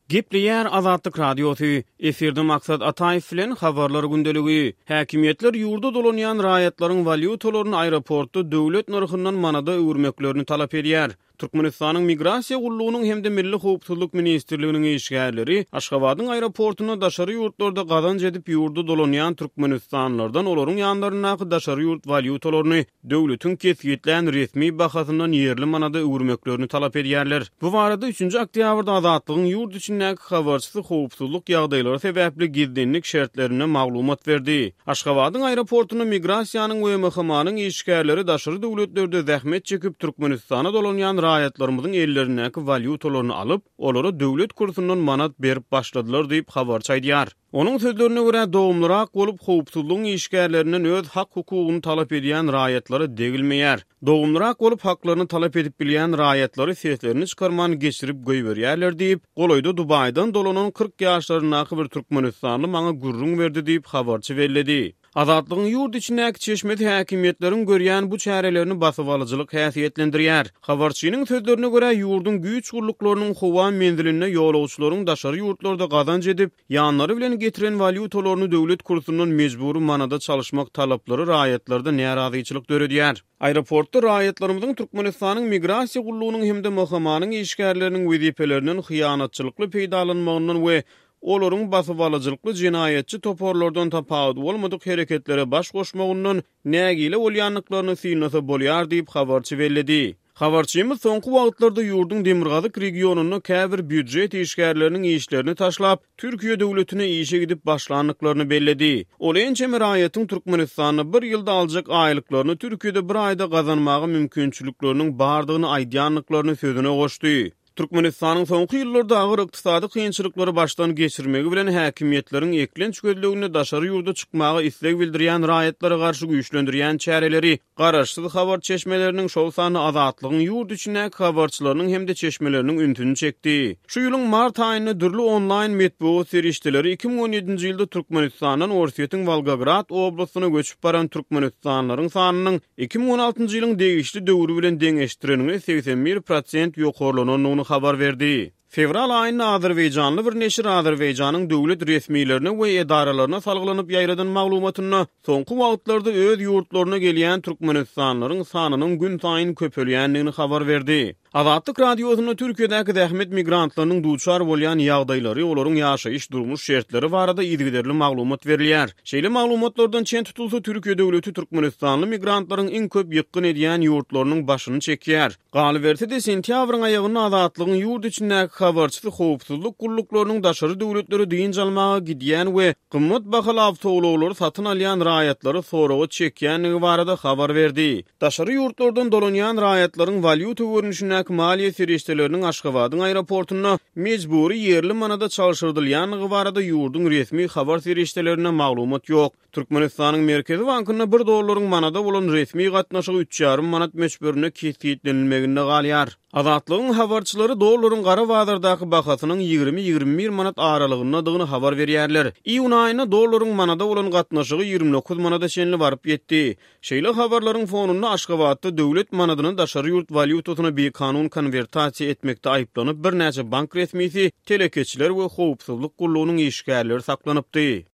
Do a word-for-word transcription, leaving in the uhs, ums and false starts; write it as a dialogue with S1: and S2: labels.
S1: Gepleýär Azatlyk Radiosy, efirde Maksat Ataýew bilen Habarlar gündeligi. Häkimiýetler ýurda dolanýan raýatlaryň walýutalaryny aeroportda döwlet nyrhyndan manada öwürmeklerini talap edýär. Türkmenistanyň Migrasiýa gullugynyň hem-de Milli howpsuzlyk ministrliginiň işgärleri Aşgabadyň aeroportunda daşary ýurtlarda gazanç edip ýurda dolanýan türkmenistanlylardan olaryň ýanlaryndaky daşary ýurt walýutalaryny döwletiň kesgitlän resmi bahasyndan ýerli manada öwürmeklerini talap edýärler. Bu barada üçünji oktýabrda Azatlygyň ýurt içindäki habarçysy howpsuzlyk ýagdaýlary sebäpli gizlinlik şertlerinde maglumat berdi. Aşgabadyň aeroportunda migrasiýanyň we M H M-nyň işgärleri daşary döwletlerde zähmet çekip Türkmenistana dolanýan raýatlarymyzyň ellerindäki walýutalaryny alyp, olara döwlet kursundan manat berip başladylar diýip habarçy aýdýar. Onuň sözlerine görä, dogumlyrak bolup howpsuzlygyň işgärlerinden öz hak hukugyny talap edýän raýatlara degilmeýär. Dogumlyrak bolup haklaryny talap edip bilýän raýatlary seslerini çykarman geçirip goýberýärler diýip, golaýda Dubaýdan dolanan kyrk ýaşlaryndaky bir türkmenistanly maňa gürrüň berdi diýip habarçy belledi. Azatlygyň ýurt içindäki çeşmesi häkimiýetleriň görýän bu çärelerini basybalyjylyk häsiýetlendirýär. Habarçynyň sözlerine görä, ýurduň güýç gulluklarynyň howa menzilinde ýolagçylaryň daşary ýurtlarda gazanç edip, ýanlary bilen getiren walýutalaryny döwlet kursundan mejbury manada çalyşmak talaplary raýatlarda närazyçylyk döredýär. Aeroportda raýatlarymyzyň Türkmenistanyň Migrasiýa gullugynyň hem-de M H M-nyň işgärleriniň wezipelerinden hyýanatçylykly peýdalanmagyndan we olaryň basybalyjylykly jenaýatçy toparlardan tapawudy bolmadyk hereketlere baş goşmagyndan nägile bolýandyklaryny synlasa bolýar diýip habarçy belledi. Habarçymyz soňky wagtlarda ýurduň demirgazyk regionynda käbir býujet işgärleriniň işlerini taşlap, Türkiýe döwletine işe gidip başlandyklaryny belledi. Ol ençeme raýatyň Türkmenistanda bir ýylda aljak aýlyklaryny Türkiýede bir aýda gazanmaga mümkinçilikleriniň bardygyny aýdýandyklaryny sözüne goşdy. Türkmenistanyň soňky ýyllarda agyr ykdysady kynçylyklary başdan geçirmegi bilen häkimiýetleriň eklenç gözleginde daşary ýurda çykmaga isleg bildirýän raýatlara garşy güýçlendirýän çäreleri garaşsyz habar çeşmeleriniň, şol sanda Azatlygyň ýurt içindäki habarçylarynyň hem-de çeşmeleriniň ünsüni çekdi. Şu ýylyň mart aýynda dürli onlaýn metbugat serişdeleri iki müň on ýedinji ýylda Türkmenistandan Orsýetiň Wolgograd oblastyna göçüp baran türkmenistanlylaryň sanynyň iki müň on altynjy ýylyň degişli döwri bilen deňeşdireniňde segsen bir prosent ýokarlanandygyny habar berdi. Fewral aýynda Azerbaýjanly bir neşir Azerbaýjanyň döwlet resmilerine we edaralaryna salgylanyp ýaýradan maglumatynda soňky wagtlarda öz ýurtlaryna gelýän türkmenistanlylaryň sanynyň gün saýyn köpelýändigini habar berdi. Azatlyk Radiosynda Türkiýedäki zähmet migrantlarynyň duçar bolýan ýagdaýlary, olaryň ýaşaýyş durmuş şertleri barada yzygiderli maglumat berilýär. Şeýle maglumatlardan çen tutulsa, Türkiýe döwleti türkmenistanly migrantlaryň iň köp ýykgyn edýän ýurtlarynyň başyny çekýär. Galyberse-de, sentýabryň aýagynda Azatlygyň ýurt içindäki habarçysy howpsuzlyk gulluklarynyň daşary döwletlere dynç almaga gidýän we gymmat bahaly awtoulaglary satyn alýan raýatlary soraga çekýändigi barada habar berdi. Daşary ýurtlardan dolanýan raýatlaryň walýuta görnüşindäki maliýe serişdeleriniň Aşgabadyň aeroportunda mejbury ýerli manada çalşyrdylýandygy barada ýurduň resmi habar serişdelerinde maglumat ýok. Türkmenistanyň Merkezi bankynda bir dollaryň manada bolan resmi gatnaşygy üç ýarym manat möçberinde kesgitlenilmeginde galýar. Azatlygyň habarçylary dollaryň gara bazardaky bahasynyň ýigrimi-ýigrimi bir manat aralygyndadygyny habar berýärler. Iýun aýynda dollaryň manada bolan gatnaşygy ýigrimi dokuz manada çenli baryp ýetdi. Şeýle habarlaryň fonunda Aşgabatda döwlet manadyny daşary ýurt walýutasyna bikanun konwertasiýa etmekde aýyplanyp birnäçe bank resmisi, telekeçiler we howpsuzlyk gullugynyň işgärleri saklanypdy.